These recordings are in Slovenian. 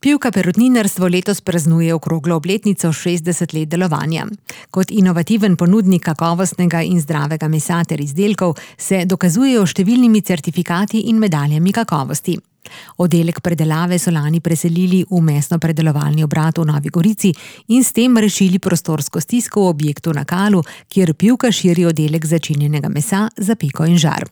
Pivka Perutninarstvo letos praznuje okroglo obletnico 60 let delovanja. Kot inovativen ponudnik kakovostnega in zdravega mesa ter izdelkov se dokazujejo številnimi certifikati in medaljami kakovosti. Oddelek predelave so lani preselili v mesno-predelovalni obrat v Novi Gorici in s tem rešili prostorsko stisko v objektu na Kalu, kjer Pivka širi oddelek začinjenega mesa za peko in žar.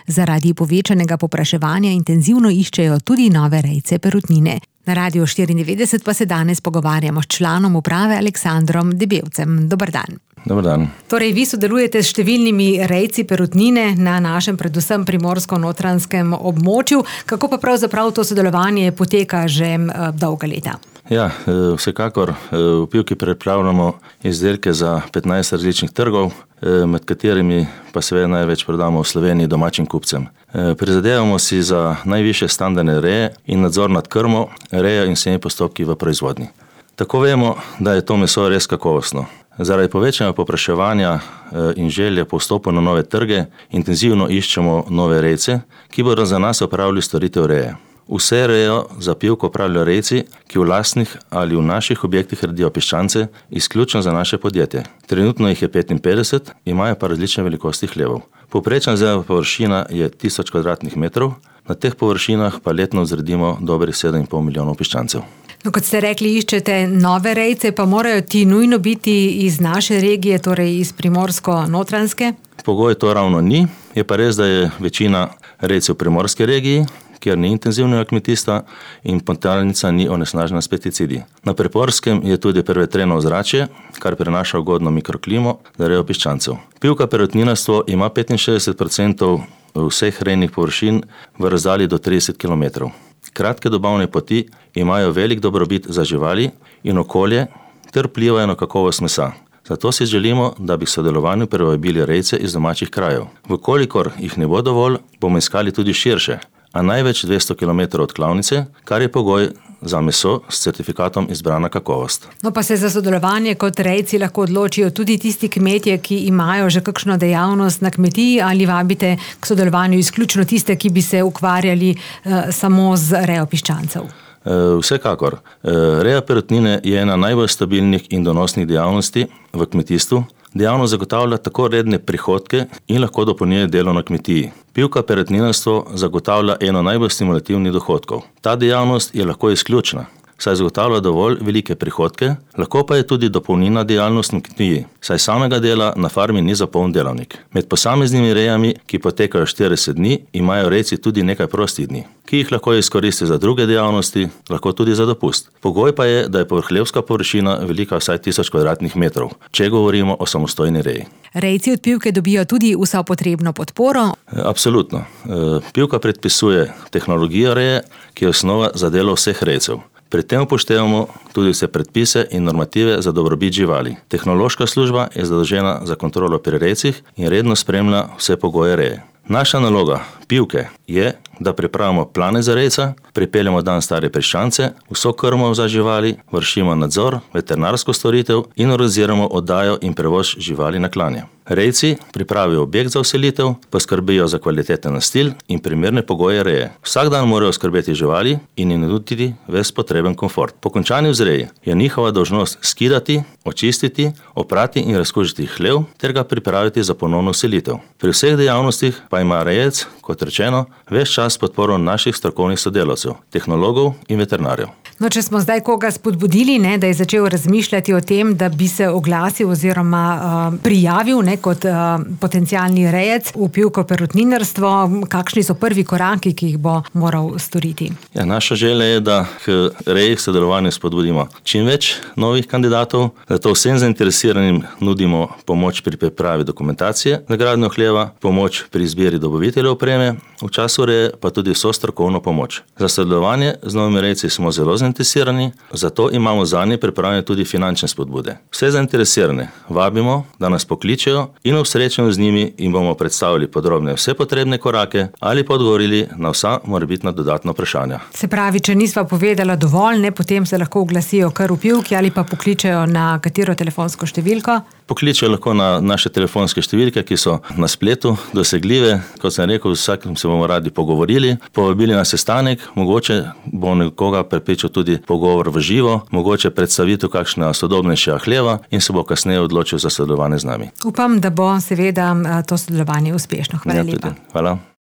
Zaradi povečanega povpraševanja intenzivno iščejo tudi nove rejce perutnine. Na Radiu 94 pa se danes pogovarjamo s članom uprave Aleksandrom Debevcem. Dober dan. Dober dan. Torej, vi sodelujete s številnimi rejci perutnine na našem predvsem primorsko-notranjskem območju. Kako pa pravzaprav to sodelovanje poteka že dolga leta? Ja, vsekakor v Pivki pripravljamo izdelke za 15 različnih trgov, med katerimi pa seveda največ prodamo v Sloveniji domačim kupcem. Prizadevamo si za najvišje standarde reje in nadzor nad krmo, rejo in vsemi postopki v proizvodnji. Tako vemo, da je to meso res kakovostno. Zaradi povečanja povpraševanja in želje po vstopu na nove trge intenzivno iščemo nove rejce, ki bodo za nas opravili storitev reje. Vse rejo za Pivko opravljajo rejci, ki v lastnih ali v naših objektih redijo piščance, izključno za naše podjetje. Trenutno jih je 55, imajo pa različne velikosti hlevov. Povprečna zelena površina je 1000 kvadratnih metrov, na teh površinah pa letno vzredimo dobrih 7,5 milijonov piščancev. No, kot ste rekli, iščete nove rejce, pa morajo ti nujno biti iz naše regije, torej iz primorsko-notranjske? Pogoj to ravno ni, je pa res, da je večina rejcev v primorski regiji, kjer ni intenzivnega kmetijstva in podtalnica ni onesnažena s pesticidi. Na Preporskem je tudi prevetreno ozračje, kar prinaša ugodno mikroklimo za rejo piščancev. Pivka Perutninarstvo ima 65% vseh rejnih površin v razdalji do 30 km. Kratke dobavne poti imajo velik dobrobit za živali in okolje ter vplivajo na kakovost mesa. Zato si želimo, da bi k sodelovanju privabili rejce iz domačih krajev. Vkolikor jih ne bo dovolj, bomo iskali tudi širše, a največ 200 km od klavnice, kar je pogoj za meso s certifikatom izbrana kakovost. No, pa se za sodelovanje kot rejci lahko odločijo tudi tisti kmetje, ki imajo že kakšno dejavnost na kmetiji, ali vabite k sodelovanju izključno tiste, ki bi se ukvarjali samo z rejo piščancev? Vsekakor. Reja perutnine je ena najbolj stabilnih in donosnih dejavnosti v kmetijstvu. Dejavnost zagotavlja tako redne prihodke in lahko dopolnjuje delo na kmetiji. Pivka Perutninarstvo zagotavlja eno najbolj stimulativnih dohodkov. Ta dejavnost je lahko izključna, saj zagotavlja dovolj velike prihodke, lahko pa je tudi dopolnilna dejavnost na kmetiji, saj samega dela na farmi ni za poln delavnik. Med posameznimi rejami, ki potekajo 40 dni, imajo rejci tudi nekaj prostih dni, ki jih lahko izkoristi za druge dejavnosti, lahko tudi za dopust. Pogoj pa je, da je povrhljevska površina velika vsaj 1000 kvadratnih metrov, če govorimo o samostojni reji. Rejci od Pivke dobijo tudi vso potrebno podporo? Absolutno. Pivka predpisuje tehnologijo reje, ki je osnova za delo vseh rejcev. Pri tem upoštevamo tudi vse predpise in normative za dobrobit živali. Tehnološka služba je zadolžena za kontrolo pri rejcih in redno spremlja vse pogoje reje. Naša naloga Pivke je, da pripravimo plane za rejca, pripeljemo dan stare piščance, vso krmo za živali, vršimo nadzor, veterinarsko storitev in organiziramo oddajo in prevoz živali na klanje. Rejci pripravijo objekt za vselitev, poskrbijo za kvaliteten nastil in primerne pogoje reje. Vsak dan morajo skrbeti živali in jim nuditi ves potreben komfort. Po končani vzreji je njihova dolžnost skidati, očistiti, oprati in razkužiti hlev ter ga pripraviti za ponovno vselitev. Pri vseh dejavnostih pa ima rejec, kot rečeno, ves čas podporo naših strokovnih sodelavcev, tehnologov in veterinarjev. No, če smo zdaj koga spodbudili, da je začel razmišljati o tem, da bi se oglasil oziroma prijavil kot potencialni rejec v Pivko Perutninarstvo, kakšni so prvi koraki, ki jih bo moral storiti? Ja, naša želja je, da k reji v sodelovanju spodbudimo čim več novih kandidatov, zato vsem zainteresiranim nudimo pomoč pri pripravi dokumentacije za gradnjo hleva, pomoč pri izbiri dobaviteljev opreme, v času reje pa tudi vso strokovno pomoč. Za sodelovanje z novimi rejci smo zelo zainteresirani, zato imamo zanje pripravljene tudi finančne spodbude. Vse zainteresirane vabimo, da nas pokličejo in v srečanju z njimi jim bomo predstavili podrobne vse potrebne korake ali pa odgovorili na vsa morebitna dodatna vprašanja. Se pravi, če nisva povedala dovolj, potem se lahko oglasijo kar v Pivki ali pa pokličejo na katero telefonsko številko? pokličejo lahko na naše telefonske številke, ki so na spletu dosegljive. Kot sem rekel, vsakim se bomo radi pogovorili, povabili na sestanek, mogoče bo nekoga prepričal tudi pogovor v živo, mogoče predstavitev kakšna sodobnejša hleva in se bo kasneje odločil za sodelovanje z nami. Upam, da bo seveda to sodelovanje uspešno. Hvala lepa. Hvala.